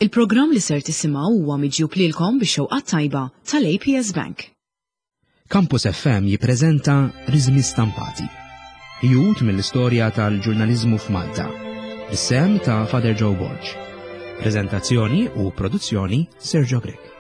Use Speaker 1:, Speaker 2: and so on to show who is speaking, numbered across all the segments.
Speaker 1: Il-programm li ser tisimgħu huwa miġjub lilkom bix-xewqat tajba tal-APS Bank.
Speaker 2: Campus FM jippreżenta Riżmi Stampati. Ħjut mill-istorja tal-ġurnaliżmu f'Malta. Bis-sehem ta' Father Joe Borg. Preżentazzjoni u produzzjoni Sergio Grech.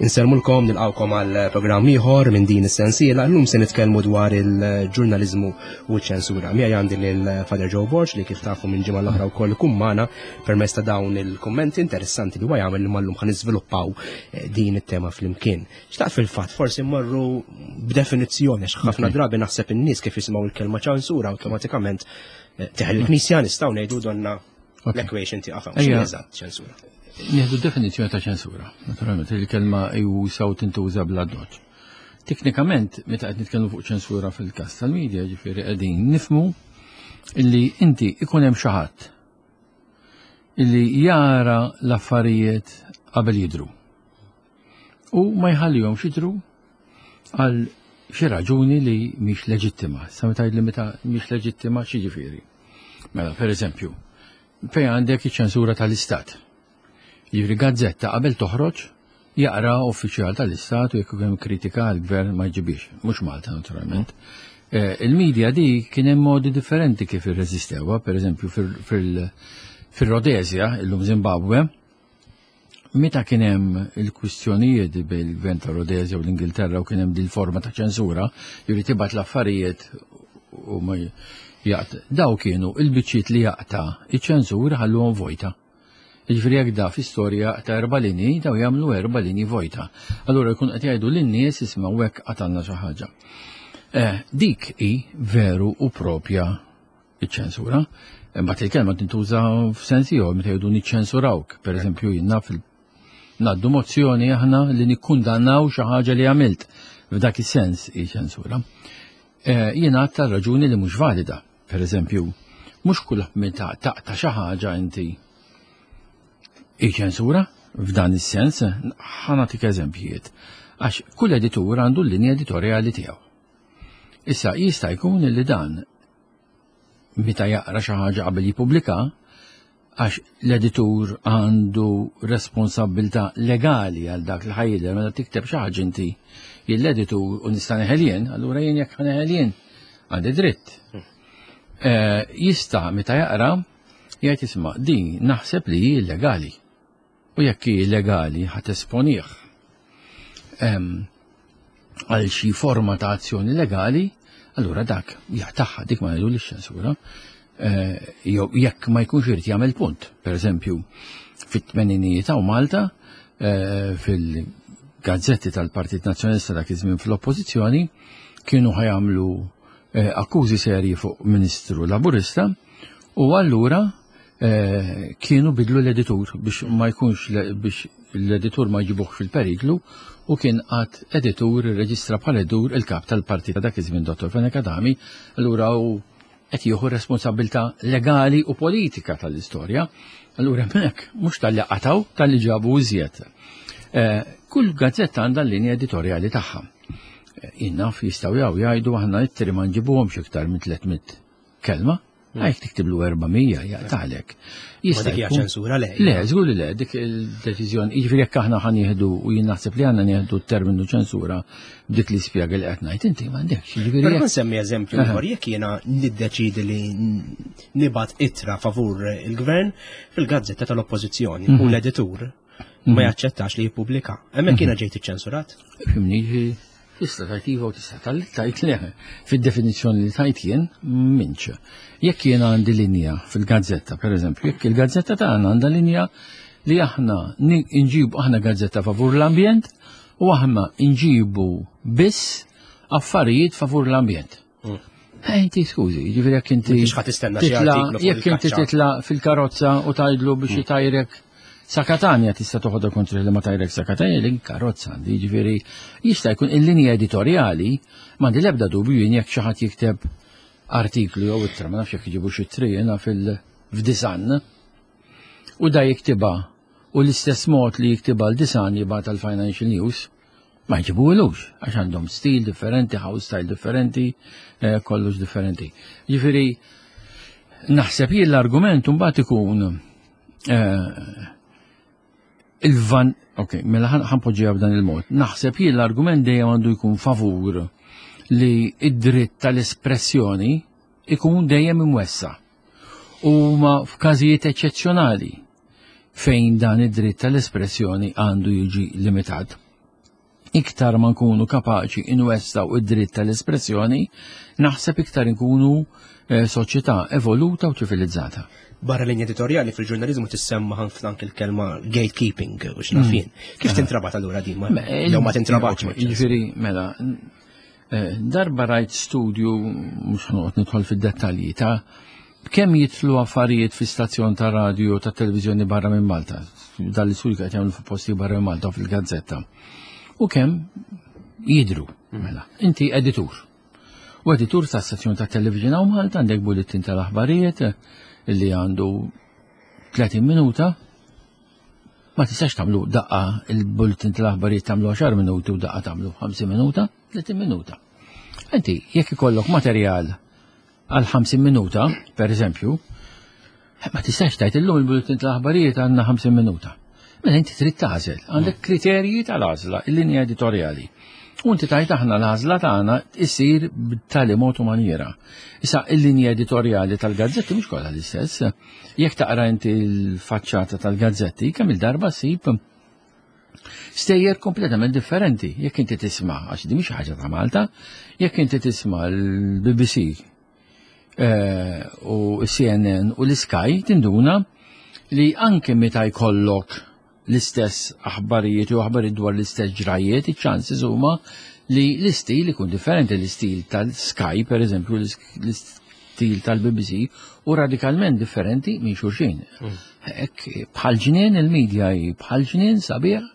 Speaker 2: Insellmulkom nilqawkom għal programm ieħor minn din is-sensiela. Llum se nitkellmu dwar il-ġurnaliżmu u ċ-ċensura. Miegħi għandi lil Father Joe Borg li kif tafu minn ġimgħa l-oħra wkoll ikun magħna permezz ta' dawn il-kummenti interessanti li huwa jagħmel li mallum ħa niżviluppaw eh, din it-tema flimkien. Xtaqt fil-fatt forsi mmorru b'definizzjoni għax ħafna drabi naħseb in-nies kif jisimgħu l-kelma ċensura awtomatikament eh, teħel il-Knisja nistgħu ngħidu donna l-equation tiqaf hawn. Eżatt ċensura.
Speaker 3: Nieħdu definizzjoni ta' ċensura. Naturalment, il-kelma jusaw tintuża bla doċ. Teknikament, meta qed nitkellmu fuq ċensura fil-każ tal-medja, ġifieri qegħdin nifmu illi inti ikun hemm xi ħadd illi jara l-affarijiet qabel jidru. U ma jħallihomx jidru għal xi raġuni li mhix leġittima. Sa meta li meta mhix leġittima xi ġifieri. Mela, per eżempju, fejn għandek iċ-ċensura tal-Istat. Jiġifieri gazzetta qabel toħroġ jaqra uffiċjal tal-Istat u jekk hemm kritika għall-gvern ma jġibix, mhux Malta naturalment. Eh, il-medja di kien hemm modi differenti kif irreżistewha, pereżempju fil-Rodezja, illum Zimbabwe, meta kien hemm il-kwistjonijiet bejn il-gvern ta' Rodezja u l-Ingilterra u kien hemm din forma ta' ċensura, juri tibgħat l-affarijiet u ma jaqt. Daw kienu il-biċċiet li jaqta' iċ-ċensura ħalluhom vojta. Jiġifieri jekk da fi storja ta' erba' linji, daw jagħmlu erba' linji vojta. Allura jkun qed jgħidu lin-nies ismgħu hekk qatalna xi ħaġa. Eh, dik hi veru u propja iċ-ċensura. Imbagħad il-kelma tintuża f'sens ieħor meta jgħidu niċċensurawk. Pereżempju jien naf ngħaddu mozzjoni aħna li nikkundannaw xi ħaġa li għamilt. F'dak is-sens hi ċensura. Eh, jien għadd raġuni li mhux valida. Per eżempju, mhux kull meta taqta' xi ħaġa inti ċensura f'dan is-sens, ħa nagħtik eżempjiet. Għax kull editur għandu l-linja editorjali tiegħu. Issa jista' jkun li dan meta jaqra xi ħaġa qabel jippubblika, għax l-editur għandu responsabilità legali għal dak li ħajjidher meta tikteb xi ħaġa inti l-editur u nista' neħel jien, allura jien jekk ħaneħel jien għandi dritt. Eh, jista' meta jaqra jgħid isma' din naħseb li hi illegali. U jekk hi illegali ħa tesponih għal xi forma ta' azzjoni legali, allura dak jaqtaħħa dik ma ngħidu ċensura. Eh, jew jekk ma jkunx irid jagħmel punt. Per eżempju, fit-tmeninijiet hawn Malta, eh, fil-gazzetti tal-Partit Nazzjonalista dak iż-żmien fl-Oppożizzjoni, kienu ħajamlu eh, akkużi serji fuq Ministru Laburista u allura kienu bidlu l-editur biex ma jkunx biex l-editur ma jġibuħ fil-periklu u kien għad editur irreġistra bħala editur il-kap tal-partit dak iż-żmien Dr. Fenech Adami, allura u qed jieħu responsabilità legali u politika tal-istorja. Allura hemmhekk mhux tal-li qataw, tal-li ġabu iżjed. Eh, kull gazzetta għandha l-linja editorjali tagħha. Eh, jien naf jistgħu jaw jgħidu aħna ittri ma nġibuhomx iktar minn 300 kelma. Għajk tiktiblu 400 jaqtalek.
Speaker 2: Jista' dik ċensura le.
Speaker 3: Le, żgur li le, dik il-deċiżjoni, jiġifieri jekk aħna ħa nieħdu u jien naħseb li għandna nieħdu t-terminu ċensura b'dik li spjega li qed ngħid inti m'għandekx.
Speaker 2: Jiġifieri Però nsemmi eżempju ieħor jekk jiena niddeċidi li nibgħat ittra favur il-gvern fil-gazzetta tal-Oppożizzjoni u mhm. l-editur ma mhm. jaċċettax li jippubblika. Hemmhekk jiena mhm. ġejt iċċensurat.
Speaker 3: Fimni, Tista' tajt iva u tista' tajt le. Fid-definizzjoni li tajt jien, minċ. Jekk jien għandi linja fil-gazzetta, per eżempju, jekk il-gazzetta tagħna għandha linja li aħna nġibu aħna gazzetta favur l-ambjent u aħna nġibu biss affarijiet favur l-ambjent. Mm. Eh, inti skużi, ġifieri jekk inti. Jekk inti titla fil-karozza u tajdlu biex mm. jitajrek sa Katanja tista' toħodha kontra li ma tajrek sa Katanja li karozza għandi, ġifieri jista' jkun il-linja editorjali m'għandi l-ebda dubju jien jekk xi ħadd jikteb. artiklu jew ittra, ma nafx jekk iġibu xi tri jiena fil-f'disan. U da jiktibha u l-istess mod li jiktibha l-disan jibgħat għal-Financial News, ma jġibuhulux għax għandhom stil differenti, house style differenti, eh, kollox differenti. Ġifieri naħseb jien l-argument mbagħad ikun eh, il-van, ok, mela ħanpoġġiha b'dan il-mod. Naħseb jien l-argument dejjem għandu jkun favur li id-dritt tal-espressjoni ikun dejjem imwessa. U ma f'każijiet eċċezzjonali fejn dan id-dritt tal-espressjoni għandu jiġi limitat. Iktar ma nkunu kapaċi inwessaw id-dritt tal-espressjoni, naħseb iktar nkunu eh, soċjetà evoluta u ċivilizzata.
Speaker 2: Barra linja editorjali fil-ġurnalizmu tissemma ħafna anke l-kelma gatekeeping u x'nafin. Mm. Kif tintrabat allura din ma jew ma tintrabatx?
Speaker 3: Jiġifieri mela eh, darba rajt studju mhux ħanoqgħod nidħol fid-dettalji ta' kemm jitlu affarijiet fi stazzjon ta' radio ta' televizjoni barra minn Malta, dal-istudju qed jagħmlu fuq posti barra minn Malta fil-gazzetta. U kemm jidru, mela, inti editur. U editur ta' stazzjon ta' televizjoni hawn Malta għandek bulletin tal-aħbarijiet li għandu 30 minuta, ma tistax tagħmlu daqqa il-bulletin tal-aħbarijiet tagħmlu 10 minuti u daqqa tagħmlu 50 minuta, 30 minuta. Inti jekk ikollok materjal għal 50 minuta, per eżempju, ma tistax tajt illum il-bulletin tal-aħbarijiet għandna 50 minuta. Mela inti trid tagħżel, għandek kriterji tal-għażla, il-linja editorjali. U inti tajt aħna l-għażla tagħna issir b'tali mod u maniera. Issa il-linja editorjali tal-gazzetti mhux kollha l-istess. Jekk taqra inti l-faċċata tal-gazzetti, kemm il-darba ssib stejjer kompletament differenti. Jekk inti tisma' għax di mhix ħaġa ta' Malta, jekk inti tisma' l-BBC eh, u CNN u l-Sky tinduna li anke meta jkollok l-istess aħbarijiet u aħbarijiet dwar l-istess ġrajiet, iċ-chances huma li l-istil ikun differenti, l-istil tal-Sky, per eżempju, l-istil tal-BBC, u radikalment differenti minn xulxin. Mm. Hekk bħal ġnien il-medja hi bħal ġnien sabiħ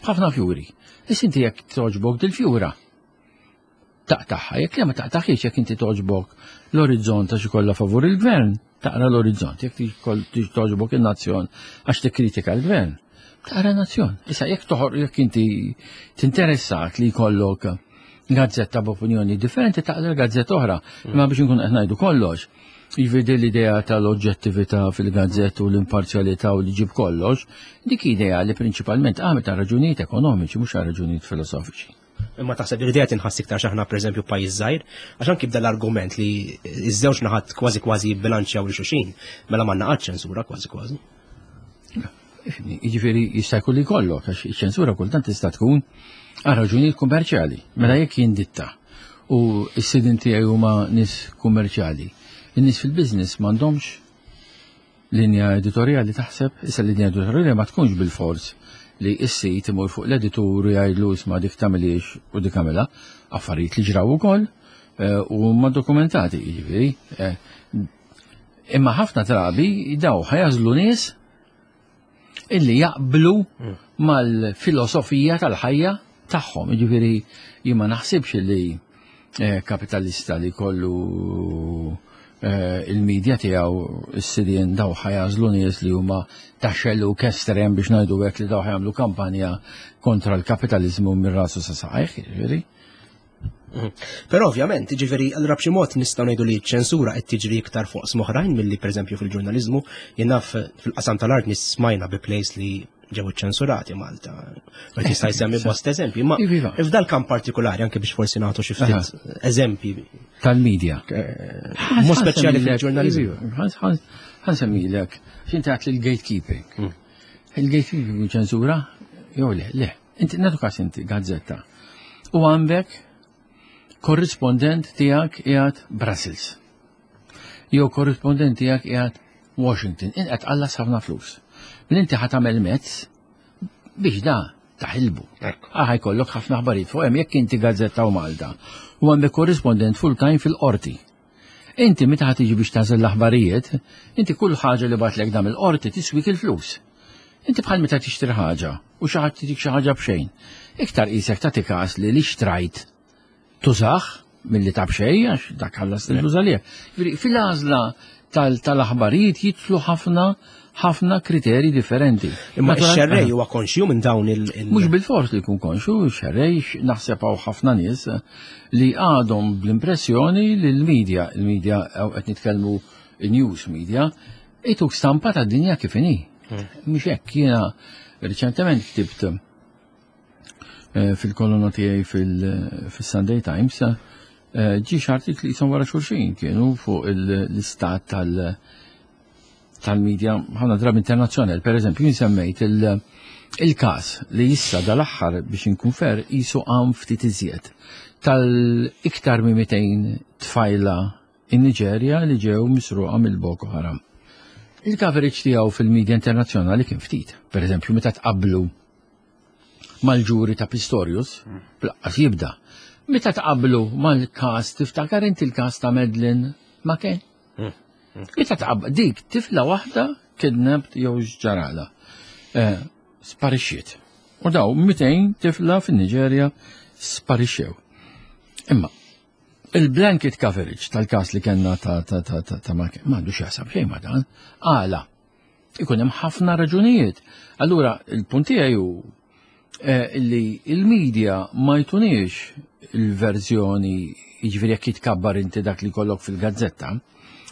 Speaker 3: ħafna fjuri. Issa inti jekk toġbok dil-fjura, taqtaħħa, jekk le ma taqtaħiex jekk inti toġbok l-orizzont għax ikollha favur il-gvern, taqra l-orizzont, jekk toġbok il-nazzjon għax tikkritika l-gvern, taqra nazzjon. Issa jekk toħor jekk inti tinteressat li jkollok gazzetta b'opinjoni differenti taqra gazzetta oħra, imma biex nkun qed ngħidu kollox Jiġifieri l-idea tal-oġġettività fil-gazzett u l-imparzjalità u li ġib kollox, dik idea li prinċipalment għamet għal raġunijiet ekonomiċi mhux għal raġunijiet filosofiċi.
Speaker 2: Imma taħseb li l-idea tinħass iktar x'aħna pereżempju pajjiż żgħir, għax anki bda l-argument li ż-żewġ naħat kważi kważi jibbilanċjaw lil xulxin, mela m'għandna qatt ċensura kważi kważi.
Speaker 3: Jiġifieri jista' jkun li jkollok għax iċ-ċensura kultant tista' tkun għal raġunijiet kummerċjali. Mela jekk jien ditta u s-sidin tiegħi huma nies kummerċjali, in-nies fil-business m'għandhomx linja editorjali taħseb, issa linja editorjali ma tkunx bil-fors li s-sit imur fuq l-editur u jgħidlu isma' dik tagħmilix u dik għamilha, affarijiet li ġraw ukoll eh, u ma dokumentati, jiġifieri. Eh, imma ħafna drabi daw ħajażlu nies illi jaqblu mm. mal-filosofija tal-ħajja tagħhom. Jiġifieri jien ma naħsibx li eh, kapitalista li kollu eh, il-medja tiegħu s-sidien daw ħajażlu nies li huma ta' xellu kestrem biex ngħidu hekk li daw ħajamlu kampanja kontra l-kapitalizmu minn rasu sa saqajh, jiġifieri.
Speaker 2: Mhm. Però ovvjament, ġifieri allura b'xi mod nistgħu ngħidu li ċ-ċensura qed tiġri iktar fuq oqsma milli pereżempju fil-ġurnaliżmu, jien naf fil-qasam tal-art nismajna bi plays li ġew iċċensurati Malta. Ma jista' jsemmi bost eżempji, ma iva, iva. f'dal kamp partikolari anke biex forsi nagħtu xi ftit eżempji
Speaker 3: tal-medja.
Speaker 2: Eh, Mod speċjali fil-ġurnaliżmu.
Speaker 3: Iva, Ħansemmilek, x'inti għat l-gatekeeping. Mm. Il-gatekeeping ċensura? Jew le, le. Inti nagħtu każ inti gazzetta. U għandek korrispondent tiegħek qiegħed Brussels. Jew korrispondent tiegħek qiegħed Washington. Inqed tqallas ħafna flus. Minn inti ħa tagħmel mezz biex da taħilbu. Aħ jkollok ħafna aħbarijiet fuq hemm jekk inti gazzetta u Malta u għandek korrispondent full time fil-qorti. Inti meta ħa tiġi biex tagħżel l-aħbarijiet, inti kull ħaġa li batlek dam il-qorti tiswik il-flus. Inti bħal meta tixtri ħaġa u xi ħadd titik xi ħaġa b'xejn. Iktar qisek tagħti każ li li xtrajt tużah milli ta' b'xejn għax dak ħallas il-flus għalih. Fil-għażla tal-aħbarijiet jidħlu ħafna ħafna kriterji differenti.
Speaker 2: Imma x-xerrej huwa konxju minn dawn il-
Speaker 3: Mhux bil-fors li jkun konxju, x-xerrej naħseb hawn ħafna nies li għadhom bl-impressjoni li l-media, il-media qed nitkellmu news media, ituk stampa ta' dinja kif inhi. Mhux hekk jiena riċentement ktibt eh, fil-kolonna tiegħi fil-Sunday Times eh, ġiex artikli jisom wara xulxin kienu fuq l-istat tal- tal-medja ħafna drabi internazzjonali. Per eżempju, jien semmejt il-każ li issa dal-aħħar biex inkun fer jisu għam ftit iżjed tal-iktar minn 200 tfajla in-Niġerja li ġew misruqa mill-Boko Haram. Il-coverage tiegħu fil-medja internazzjonali kien ftit. Per eżempju, meta tqablu mal-ġuri ta' Pistorius, plaqqas jibda. Meta tqablu mal-każ tiftakar inti l-każ ta' Medlin ma kien? Meta tqab dik tifla waħda kidnapped jew x'ġarala. Eh, sparixxiet. U daw 200 tifla fin-Niġerja sparixxew. Imma il-blanket coverage tal-każ li kellna ta' ta' ta' ta' ta' ma għandu x'jaqsam xejn ma' dan. Għala. Ikun hemm ħafna raġunijiet. Allura il-punt tiegħi hu eh, li il-media ma jtuniex il-verżjoni jiġifieri jekk jitkabbar inti dak li kollok fil-gazzetta,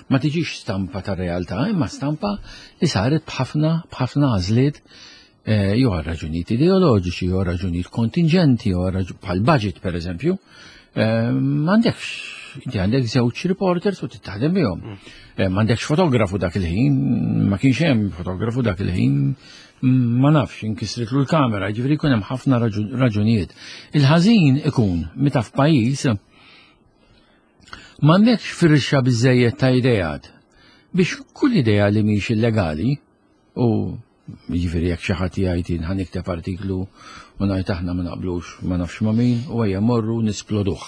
Speaker 3: ma tiġix stampa ta' realtà, imma stampa li saret b'ħafna b'ħafna għażliet eh, jew għal raġunijiet ideoloġiċi, jew għal raġunijiet kontingenti, jew bħal budget per eżempju, eh, m'għandekx inti għandek żewġ reporters u tittaħdem bihom. Mm. Eh, m'għandekx fotografu dak il-ħin, ma kienx hemm fotografu dak il-ħin, mm, ma nafx inkisritlu l-kamera, ġifieri jkun hemm ħafna raġunijiet. Il-ħażin ikun meta f'pajjiż m'għandekx firxa biżejjed ta' idejat biex kull idea li mhix illegali u Jiġifieri jekk xi ħadd jgħid jien ħa nikteb artiklu u ngħid aħna ma naqblux ma nafx ma' min u ejja morru nisploduh.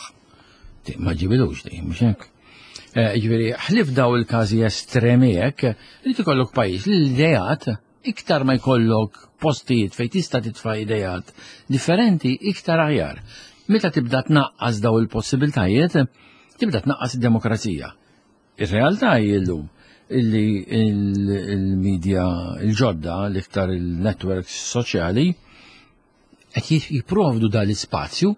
Speaker 3: Ma ġibilux di, mhux hekk. Eh, jiġifieri ħlif daw il-każi estremi hekk, li tikollok pajjiż li l-idejat iktar ma jkollok postijiet fejn tista' titfa' idejat differenti iktar aħjar. Meta tibda tnaqqas daw il-possibiltajiet, tibda tnaqqas id-demokrazija. Ir-realtà hi llum illi il-media il-ġodda, l-iktar il-networks soċjali, qed jipprovdu dal-ispazju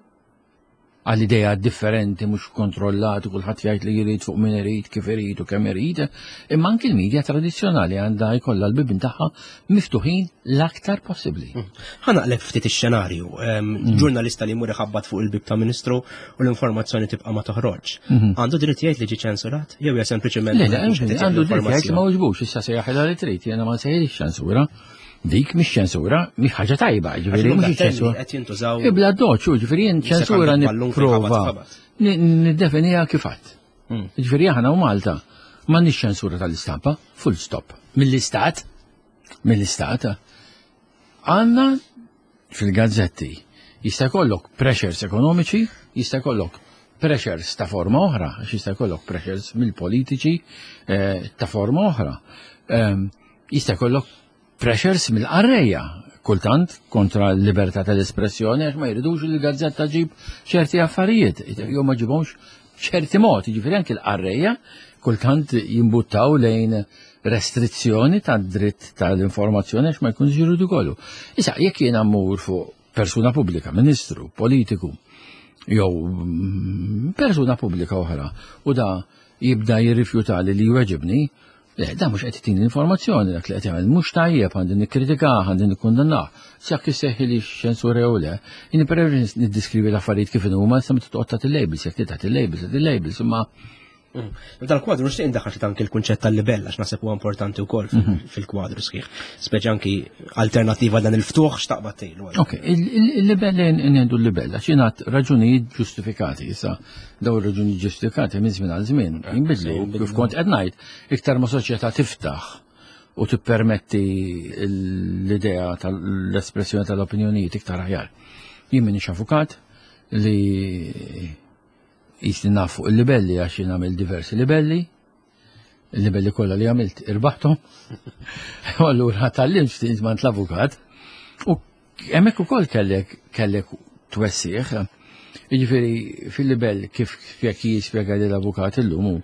Speaker 3: għal idea differenti mhux kontrollati kulħadd jgħid li jrid fuq min irid, kif irid u kemm irid, imma anki l-media tradizzjonali għandha jkollha l-bibien tagħha miftuħin l-aktar possibbli. Mm.
Speaker 2: Ħa naqleb ftit ix-xenarju. Mm. Ġurnalista li jmur iħabbat fuq il-bib ta' ministru u l-informazzjoni tibqa' ma toħroġ. Mhm. Għandu dritt jgħid li ġi ċensurat? Jew hija sempliċement
Speaker 3: Le, għandu dritt jgħid li ma wġbux, issa se jaħilha li trid, jiena ma nsejħilx ċensura. Dik mhix ċensura, mhix ħaġa tajba, ġifieri mhux ċensura.
Speaker 2: Qed jintużaw.
Speaker 3: Ibla doċ, ġifieri jien ċensura nipprova niddefinija kif għadd. Mm. Ġifieri aħna u Malta m'għandniex ċensura tal-istampa, full stop. Mill-istat, mill-istat, għandna fil-gazzetti jista' jkollok pressures ekonomiċi, jista' jkollok pressures ta' forma oħra, għax jista' jkollok pressures mill-politiċi eh, ta' forma oħra. Ehm, jista' jkollok pressures mill-qarrejja, kultant kontra l-libertà tal-espressjoni għax ma jridux li l-gazzetta ġib ċerti affarijiet, jew ma ġibhomx ċerti mod, jiġifieri anki l-qarrejja kultant jimbuttaw lejn restrizzjoni tad-dritt tal-informazzjoni għax ma jkunx jridu kollu. Issa, jekk jiena mmur fuq persuna pubblika, ministru, politiku, jew mm, persuna pubblika oħra, u da jibda jirrifjuta li li jweġibni, le, da mhux qed jtini l-informazzjoni dak li qed jagħmel mhux tajjeb għandi nikkritikah, għandi nikkundannah. Sjak isseħħi li xensura jew le, jien preferi niddiskrivi l-affarijiet kif huma sa meta toqgħod tagħti labels, jekk tagħti labels, tagħti labels, imma
Speaker 2: Mm. F'dan kwadru nixtieq indaħħal xi anki l-kunċett tal-libell għax naħseb huwa importanti wkoll mhm. fil-kwadru sħiħ. Speċi anki alternattiva dan il-ftuħ x'taqbad tgħidu.
Speaker 3: Ok, il-libell ngħidu l-libell għax jingħad raġunijiet ġustifikati issa daw ir-raġunijiet ġustifikati minn żmien għal żmien eh, jinbidlu kif kont qed ngħid iktar ma soċjetà tiftaħ u tippermetti l-idea tal-espressjoni tal-opinjonijiet iktar aħjar. Jien minix avukat li Jisni naf fuq il-libelli għax jien għamilt diversi libelli. Il-libelli kollha li għamilt irbaħthom. U allura tal-lim ftit mant l-avukat. U hemmhekk ukoll kellek kellek twessieħ. Jiġifieri fil-libell kif jekk jispjega li l-avukat illum hu,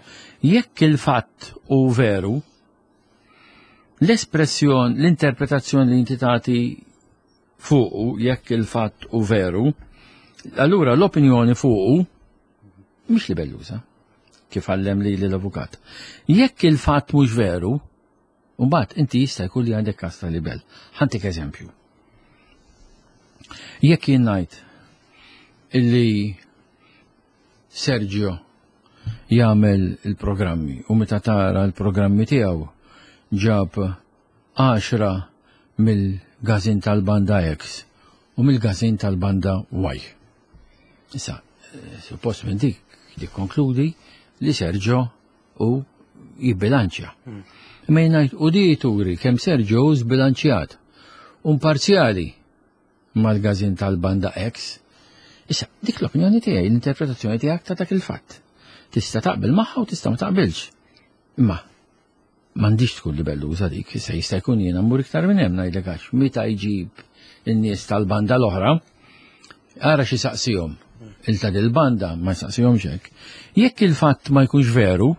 Speaker 3: jekk il-fatt hu veru, l-espressjon, l-interpretazzjoni li inti tagħti fuqu jekk il-fatt hu veru, allura l-opinjoni fuqu mhix libelluża, kif għallem li l-avukat. Jekk il-fatt mhux veru, mbagħad inti jista' jkun li għandek każ ta' libel. Ħantik eżempju. Jekk jien ngħid illi Sergio jagħmel il-programmi u meta tara l-programmi tiegħu ġab 10 mill-gazin tal-banda X u mill-gazin tal-banda Y. Issa, suppost minn dik tikkonkludi li Sergio u jibbilanċja. Imma jien ngħid u di turi kemm Sergio hu żbilanċjat u imparzjali mal-gazin tal-banda X. Issa, dik l-opinjoni tiegħi, l-interpretazzjoni tiegħek ta' dak il-fatt. Tista' taqbel magħha u tista' ma taqbilx. Imma m'għandix tkun libelluża dik, issa jista' jkun jiena mmur iktar minn hemm ngħidlek għax meta jġib in-nies tal-banda l-oħra, ara xi saqsihom. Il ta' dil-banda ma jsaqsihomx hekk. Jekk il-fatt ma jkunx veru,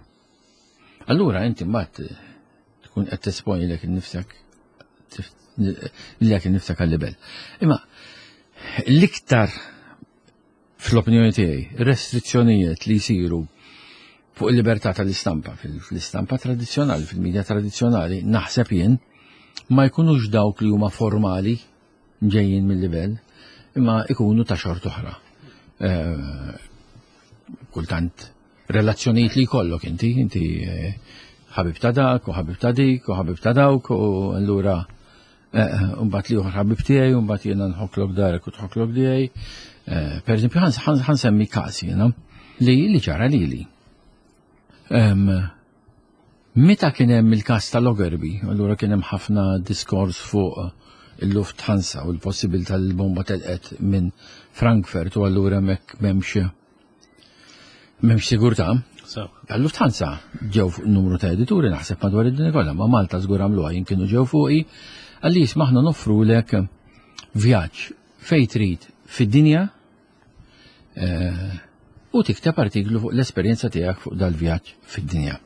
Speaker 3: allura inti mbagħad tkun qed tesponi lek innifsek lilek innifsek għal-libel. Imma l-iktar fl-opinjoni tiegħi, restrizzjonijiet li jsiru fuq il-libertà tal-istampa, fil-istampa tradizzjonali, fil-medja tradizzjonali, naħseb jien, ma jkunux dawk li huma formali ġejjin mill-livell, imma ikunu ta' xort oħra. Eh, kultant relazzjonijiet li jkollok inti, inti eh, ħabib ta' dak u ħabib ta' dik u ħabib ta' dawk u allura Umbat li uħar ħabib tiegħi, umbat jiena nħoklok darek u tħoklok tiegħi. Eh, per eżempju, ħansemmi każ jiena li li ġara lili. Meta kien hemm il-każ tal-Ogerbi, allura kien hemm ħafna diskors fuq il-Lufthansa u l-possibilità li l-bomba telqet minn Frankfurt u allura hemmhekk m'hemmx M'hemmx sigurtà. Tal-Lufthansa ġew fuq numru ta' edituri naħseb madwar id-dinja kollha, ma' Malta żgur għamluha jien kienu ġew fuqi, għalli jisma' aħna noffrulek vjaġġ fejn trid fid-dinja eh, u tikteb artiklu fuq l-esperjenza tiegħek fuq dal-vjaġġ fid-dinja.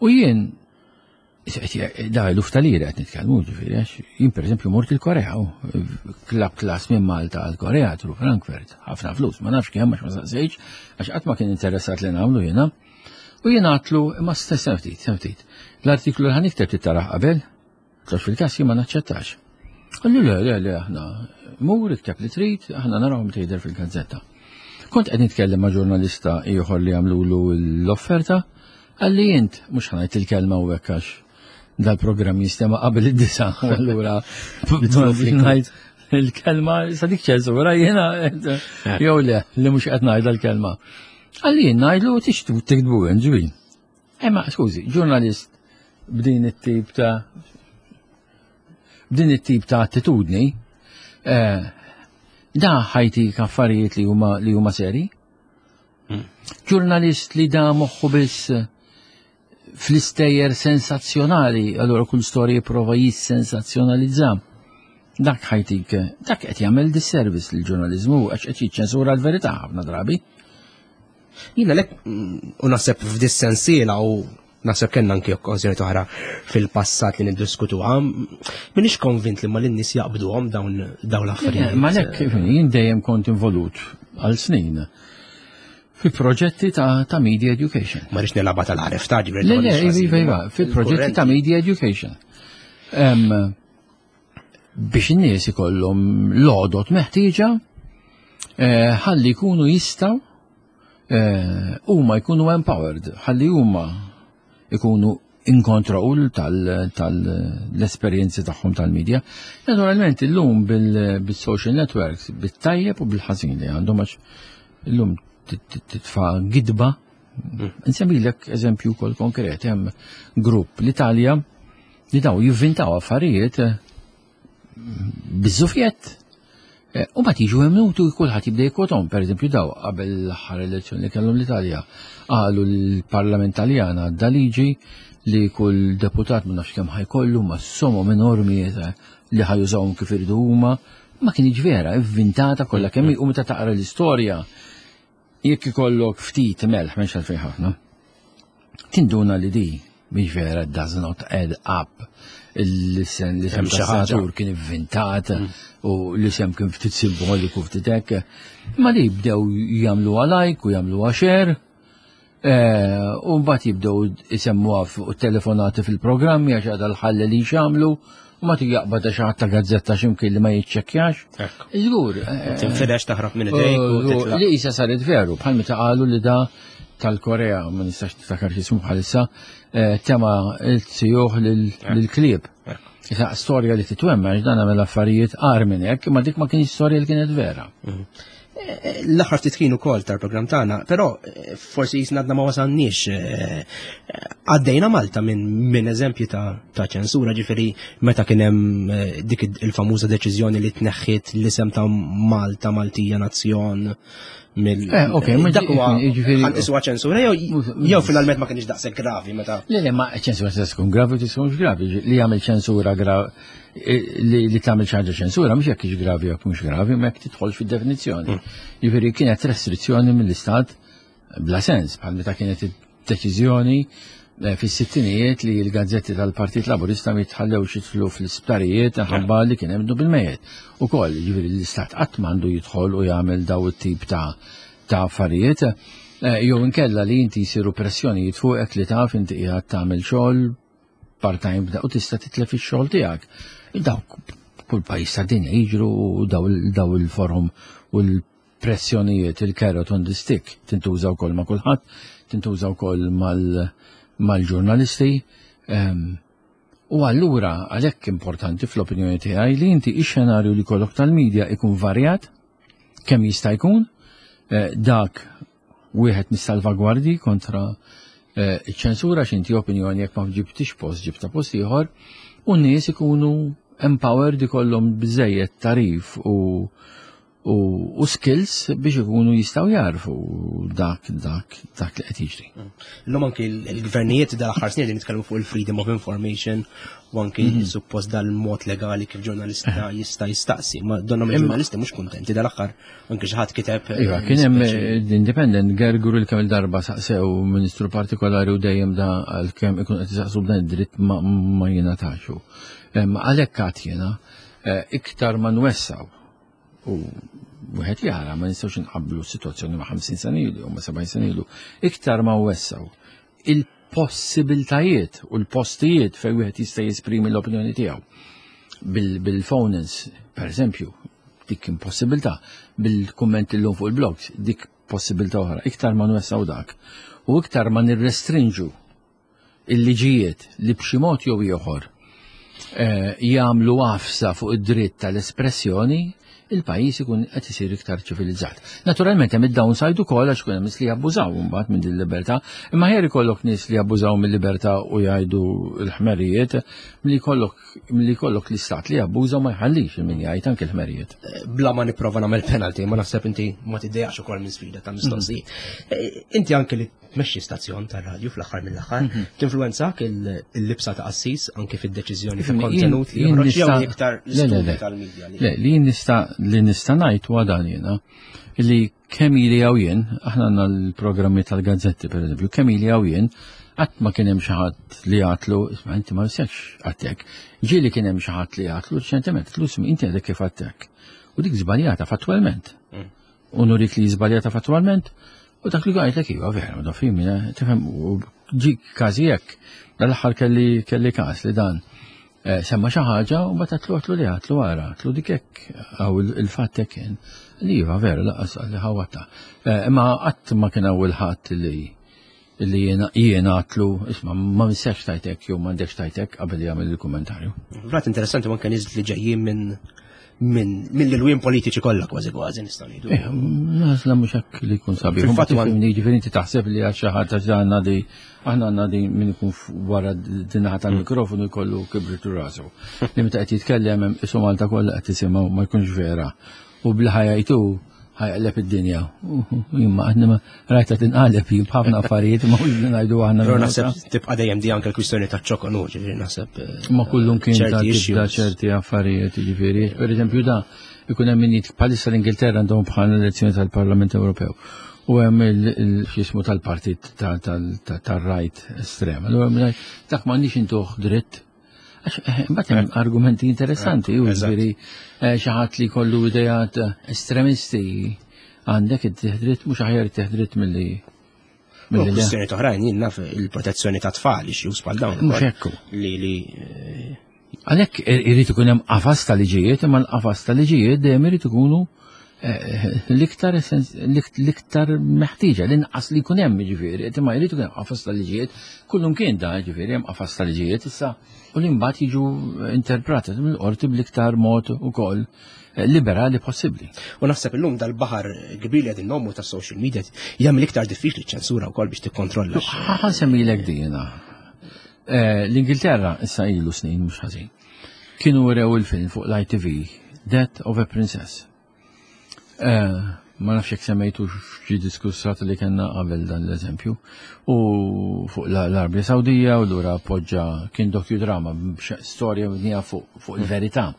Speaker 3: U jien Da eluf ta' lira qed nitkellmu ġifieri għax jien pereżempju mort il-Korea u klab klas minn Malta għal Korea tru Frankfurt, ħafna flus, ma nafx kemm għax ma saqsejtx għax qatt ma kien interessat li nagħmlu jiena. U jien għatlu imma stess ftit, ftit. L-artiklu li ħanikteb tittarah qabel, għax fil-każ jien ma naċċettax. Qalli le, le, le, aħna mur ikteb li trid, aħna narawhom tgħider fil-gazzetta. Kont qed nitkellem ma' ġurnalista ieħor li għamlulu l-offerta, Qalli int, mhux ħa ngħid il-kelma hawnhekk għax dal-programm jistema' qabel id-disa, u allura ngħid il-kelma sa dik ċensura jiena jew le li mhux qed ngħidha l-kelma. Qalli jien ngħidlu tixtu tiktbu ġbin. Imma skużi, ġurnalist b'din it-tip ta' b'din it-tip ta' attitudni, eh, da ħajtik affarijiet li huma li huma seri. Ġurnalist li da moħħu biss fl-istejjer sensazzjonali, allura kull storja jipprova jissensazzjonalizza. Dak ħajtik, dak qed jagħmel disservice lill-ġurnaliżmu għax qed jiċċensura l-verità ħafna drabi.
Speaker 2: Jiena lek u naħseb f'dis-sensiela u Naħseb kellna anki okkażjoni oħra fil-passat li niddiskutuha. Minix konvint li ma lin-nies jaqbduhom dawn dawn l-affarijiet.
Speaker 3: Ma lek, jien dejjem kont involut għal snin fi proġetti ta', ta media education.
Speaker 2: Ma rix nilaba tal-għaref ta'
Speaker 3: ġifieri. Le, le, iva, iva, fi proġetti ta' media education. Biex in-nies ikollhom l-għodot meħtieġa eh, ħalli jkunu jistgħu eh, huma jkunu empowered, ħalli huma jkunu in control tal-esperjenzi tagħhom tal-medja. Naturalment illum bil-social networks, bit-tajjeb u bil-ħażin li għandhom għax illum titfa' gidba. Nsemmilek eżempju wkoll konkret, hemm grupp l-Italja li daw jivvintaw affarijiet eh, biż-żufjett. Eh, u mbagħad jiġu emnutu kulħadd jibda jikkwotom, pereżempju daw qabel l-aħħar elezzjoni li kellhom l-Italja, qalu l-Parlament Taljan għadda liġi li kull deputat ma nafx kemm ħajkollu ma somom enormi eh, li ħajużawhom kif iridu huma Ma kienx vera, ivvintata kollha kemm u meta taqra l-istorja jekk ikollok ftit melħ m'hemmx għalfejn ħafna. Tinduna li di mhix vera does not add up l-isem l-isem senatur kien ivvintat mm. u l-isem kien ftit simboliku ftit hekk. Ma li bdew jagħmlu like u jagħmlu share eh, u mbagħad jibdew isemmuha fuq telefonati fil-programmi għax għadha l-ħalli li xamlu u ma jaqbad xi ħadd ta' gazzetta x'imkien li ma jiċċekkjax. Żgur.
Speaker 2: Eh, Tinfirex taħrab minn idejk u
Speaker 3: eh, Li isa saret veru, bħal meta qalu li da tal-Korea, ma nistax niftakar x'ismu bħalissa, eh, tema il-sijuħ lill-klieb. Issa storja li titwemma għax dan għamel affarijiet qar minn hekk, imma dik ma kienx storja li kienet vera.
Speaker 2: Mhm. Eh, l-aħħar ftit ħin ukoll tal-programm tagħna, però eh, forsi jisna għadna ma wasalniex għaddejna Malta minn min eżempji ta', ta ċensura ġifieri meta kien hemm dik il-famuża deċiżjoni li tneħħiet l-isem ta' Malta Maltija Nazzjon mill.
Speaker 3: Eh, ok, ma
Speaker 2: dak huwa ħanqisuha ċensura jew jew finalment ma kienx daqshekk gravi meta.
Speaker 3: Le, le, ma ċensura se tkun gravi u tkunx gravi. Li jagħmel ċensura gravi eh, li tagħmel xi ħaġa ċensura mhux jekk hix gravi jew mhux gravi, ma jekk tidħol fid-definizzjoni. Mm. Jiġifieri kienet restrizzjoni mill-istat bla sens bħal meta kienet deċiżjoni eh, fis-sittinijiet li l-gazzetti tal-Partit Laburista ma jitħallewx jidħlu fl-isptarijiet ħabba li kien hemm bil-mejjet. Ukoll, jiġifieri l-istat qatt m'għandu jidħol u jagħmel daw it-tip ta' ta' affarijiet. Eh, jew inkella li inti jsiru pressjonijiet fuqek li taf inti qiegħed tagħmel xogħol part-time u tista' titlef ix-xogħol tiegħek. Dawk kull pajjiż tad-dinja jiġru daw il-forum u l pressjonijiet il-carrot on the stick tintuża wkoll ma' kulħadd, tintuża wkoll mal-ġurnalisti. Ehm, u allura għalhekk importanti fl-opinjoni tiegħi li inti ix-xenarju li kollok tal-medja ikun varjat kemm jista' jkun eh, dak wieħed mis-salvagwardji kontra eh, ċ-ċensura x'inti opinjoni jekk ma ġibtix post ġibta post ieħor u n-nies ikunu empowered ikollhom biżejjed tarif u u skills biex ikunu jistaw jarfu dak dak dak li qed jiġri. Mm.
Speaker 2: Illum anki l-gvernijiet dal-aħħar snin li nitkellmu fuq il-freedom of information u anki mhm. suppost dal-mod legali kif ġurnalista eh. jista' jistaqsi. Ma donna mill-ġurnalisti mhux kuntenti dal-aħħar anki xi ħadd kiteb.
Speaker 3: Eh, iva, kien hemm eh, l-Independent gerguru l kemm il-darba saqsew ministru partikolari u dejjem da għalkemm ikun qed isaqsu b'dan id-dritt ma jingħataxu. Għalhekk għad jiena iktar ma nwessaw U wieħed jara ma nistgħux inqabblu s-sitwazzjoni ma' 50 sena ilu jew ma' 70 sena ilu. Iktar ma wessaw il-possibiltajiet u l-postijiet fejn wieħed jista' jesprimi l-opinjoni tiegħu. Bil-phonins, per eżempju, dik impossibilità, bil-kummenti llum fuq il-blogs, dik possibilità oħra. Iktar ma nwessaw dak u iktar ma nirrestrinġu il-liġijiet li b'xi mod jew ieħor eh, jagħmlu għafsa fuq id-dritt tal-espressjoni, il-pajjiż ikun qed isir iktar ċivilizzat. Naturalment hemm id-downside ukoll għax ikun hemm nies li jabbużaw imbagħad minn din libertà, imma ħer ikollok nies li jabbużaw mill-libertà u jgħidu l-ħmerijiet, milli jkollok milli jkollok l-istat li jabbuża ma jħallix il min jgħid anke l-ħmerijiet.
Speaker 2: Eh, bla ma nipprova nagħmel penalty, ma naħseb inti ma tiddejaqx ukoll minn sfida ta' mistoqsijiet. Mm. Eh, inti anke li tmexxi stazzjon tar-radju fl-aħħar mill-aħħar, mhm. tinfluwenzak il-libsa ta' qassis anke fid-deċiżjoni ta' kontenut li joħroġ jew iktar l-istudju tal-medja.
Speaker 3: Le, li nista' li nista' ngħid huwa dan jiena li kemm ili hawn jien, aħna għandna l-programmi tal-gazzetti pereżempju, kemm ili hawn jien, qatt ma kien hemm xi ħadd li għatlu, isma' inti ma nistax għattek. Ġieli kien hemm xi ħadd li għatlu reċentement, tlu inti għadek kif għattek. U dik żbaljata fattwalment. Mm. U nurik li żbaljata fattwalment, u dak li għajtlek iva vera, da fimi, eh, tifhem, u ġi każi hekk. Dal-aħħar kelli kelli każ li dan eh, semma xi ħaġa u mbagħad għatlu għatlu li għatlu għara, għatlu dik hekk għaw il-fatt hekk kien. Li iva vera laqas li ħawata. Eh, imma qatt ma kien hawn il-ħadd li li jiena għatlu, isma, ma minsekx tajtek jew m'għandekx tajtek qabel jagħmel il-kummentarju.
Speaker 2: Rat interessanti anke nies li ġejjin minn minn mill-ilwien politiċi kollha kważi kważi nistgħu ngħidu.
Speaker 3: Eh, Naħsla mhux hekk li jkun sabiħ. Fil-fatt jiġifieri inti taħseb li għal xi ħadd għax għandna di aħna għandna di min ikun wara din-naħa tal-mikrofonu jkollu kibritu rasu. Li meta qed jitkellem hemm isu Malta kollha qed tisimgħu ma jkunx vera. U bl-ħajajtu ħajqleb id-dinja. Imma aħna ma rajta tinqaleb jien b'ħafna affarijiet ma mhux li ngħidu aħna.
Speaker 2: Però naħseb tibqa' dejjem di anke l-kwistjoni ta' ċokon ġifieri naħseb.
Speaker 3: Eh, ma kullum kien ta' tibda ċerti affarijiet, ġifieri. Per eżempju da, Ikun hemm min bħalissa l-Ingilterra għandhom bħal elezzjoni tal-Parlament Ewropew. U hemm il-xismu tal-partit tar-right estrem. Allura dak m'għandix intuh dritt. Għax eh, mbagħad hemm argumenti interessanti, u ġifieri eh, xi ħadd li jkollu idejat estremisti għandek id-dritt mhux aħjar id-dritt milli
Speaker 2: Kwistjoni oħrajn jien naf il-protezzjoni ta' tfal issues bħal dawn.
Speaker 3: Mhux hekk.
Speaker 2: Li li eh,
Speaker 3: Għalhekk irid ikun hemm qafas ta' liġijiet, imma l-qafas ta' liġijiet dejjem irid ikunu eh, l-iktar l-iktar meħtieġa, l-inqas li jkun hemm jiġifieri, imma jrid ikun hemm qafas ta' liġijiet, kullum kien da jiġifieri hemm qafas ta' liġijiet issa u li mbagħad jiġu interpretati mill-qorti bl-iktar mod ukoll liberali possibbli.
Speaker 2: U naħseb illum dal-baħar kbir li qegħdin nommu tas-social media jagħmel iktar diffiċli ċensura wkoll biex tikkontrolla.
Speaker 3: Ħa semmilek dina. Eh, L-Ingilterra issa ilu snin mhux ħażin. Kienu wrew il-film fuq l-ITV Death of a Princess. Eh, ma nafx jekk semmejtu xi diskussat li kellna qabel dan l-eżempju. U fuq l-Arabja Sawdija u lura poġġa kien docudrama storja mibnija fuq il-verità.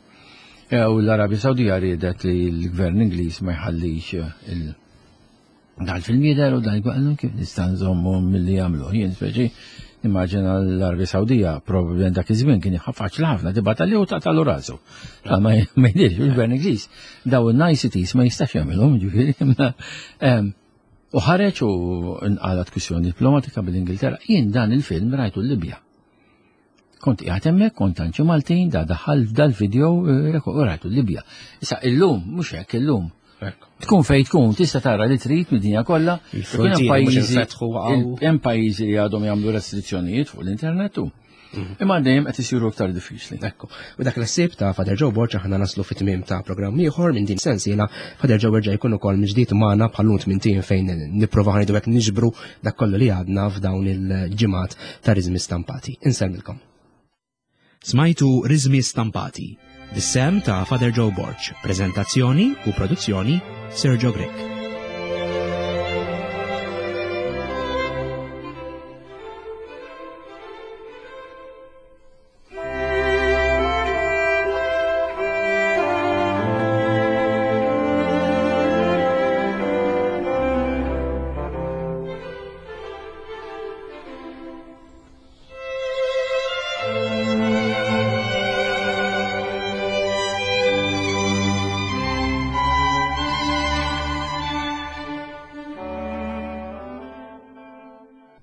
Speaker 3: E, u l-Arabja Sawdija riedet li l-gvern Ingliż ma jħallix eh, il dal-film jidher u dan jgħallu kif nista' nżommu milli jagħmlu. Jien speċi immaġina l-Arabja Sawdija probabbilment dak iż-żmien kien faċli ħafna tibgħat li u taqtalu rasu. Ma jdirx il-gvern Ingliż daw il-niceties ma jistax jagħmilhom ġifieri. U ħareġ u nqalat kwistjoni diplomatika bil-Ingilterra. Jien dan il-film rajtu l-Libja. Kont qiegħed hemmhekk, kont għand xi Maltin, da daħal dal-video eh, u rajtu l-Libja. Issa illum mhux hekk illum. Tkun fej tkun, tista' tara li trid mid-dinja kollha. Hemm pajjiżi li għadhom jagħmlu restrizzjonijiet fuq l-internet u. Mhm. Imma dejjem qed isiru aktar diffiċli.
Speaker 2: Ekku. U dak l-ħsieb ta' Father Joe Borg aħna naslu fit-tmiem ta' programm ieħor minn din sensiela Father Joe erġa' jkun ukoll mill-ġdid magħna bħal minn tim fejn nipprova ħanidu hekk niġbru dak kollu li għadna f'dawn il-ġimgħat ta' riżmi stampati. Insellmilkom. Smajtu Riżmi Stampati, bis-sehem ta' Father Joe Borg, preżentazzjoni u produzzjoni Sergio Grech.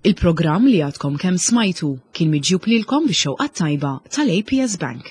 Speaker 1: Il-programm li għadkom kemm smajtu kien miġjub lilkom bix-xewqa tajba tal-APS Bank.